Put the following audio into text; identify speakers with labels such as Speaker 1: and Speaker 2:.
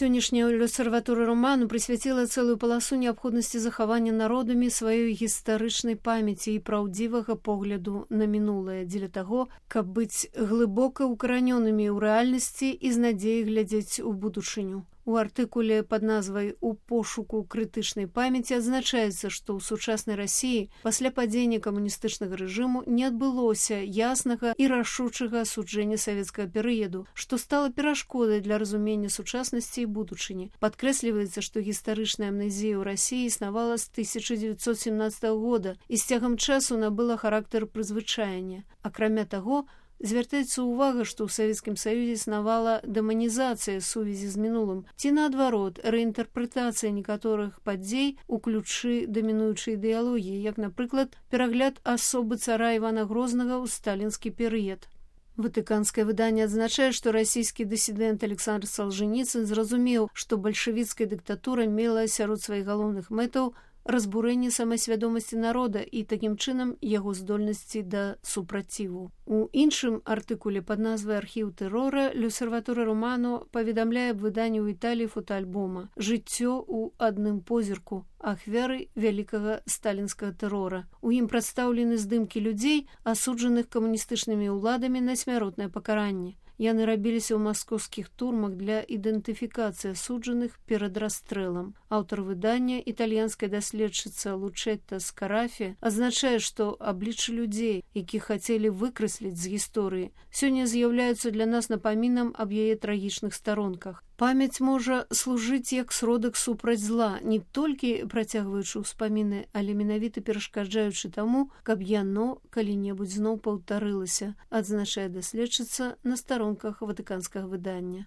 Speaker 1: Сённяшняя L'Osservatore Romano прысвяціла цэлую паласу неабходнасці захавання народамі сваёй гістарычнай памяці і праўдзівага погляду на мінулае, дзеля таго, каб быць глыбока укаранёнымі ў рэальнасці і з надзеяй глядзець у будучыню. У артыкуле пад назвай «У пошуку крытычнай памяці» адзначаецца, што ў сучаснай Расіі пасля падзення камуністычнага рэжыму не адбылося яснага і рашучага асуджэння савецкага перыяду, што стала перашкодай для разумення сучаснасці і будучыні. Падкрэсліваецца, што гістарычная амнезія ў Расіі існавала з 1917 года і з цягам часу набыла характар прызвычаення. Акрамя таго, звяртаецца ўвага, што ў Савецкім Саюзе існавала дэманізацыя сувязі з мінулым, ці наадварот, рэінтэрпрэтацыя некаторых падзей у ключы дамінуючай ідэалогіі, як, напрыклад, перагляд асобы цара Івана Грознага ў сталінскі перыяд. Ватыканскае выданне адзначае, што расійскі дысідэнт Александр Салжаніцын зразумеў, што бальшавіцкая дыктатура мела сярод сваіх галоўных мэтаў разбурэнне самасвядомасці народа і такім чынам яго здольнасці да супраціву. У іншым артыкуле пад назвай «Архіў тэрора» L'Osservatore Romano паведамляе аб выданні ў Італіі фотоальбома «Жыццё ў адным позірку. Ахвяры вялікага сталінскага тэрора». У ім прадстаўлены здымкі людзей, асуджаных камуністычнымі ўладамі на смяротнае пакаранне. Яны рабіліся ў маскоўскіх турмах для ідэнтыфікацыі асуджаных перад расстрэлам. Аўтар выдання, італьянская даследчыца Лучетта Скарафі, адзначае, што абліччы людзей, якіх хацелі выкрэсліць з гісторыі, сёння з'яўляюцца для нас напамінам аб яе трагічных старонках. Памяць можа служыць як сродак супраць зла, не толькі працягваючы ўспаміны, але менавіта перашкаджаючы таму, каб яно калі-небудзь зноў паўтарылася, адзначае даследчыца на старонках ватыканскага выдання.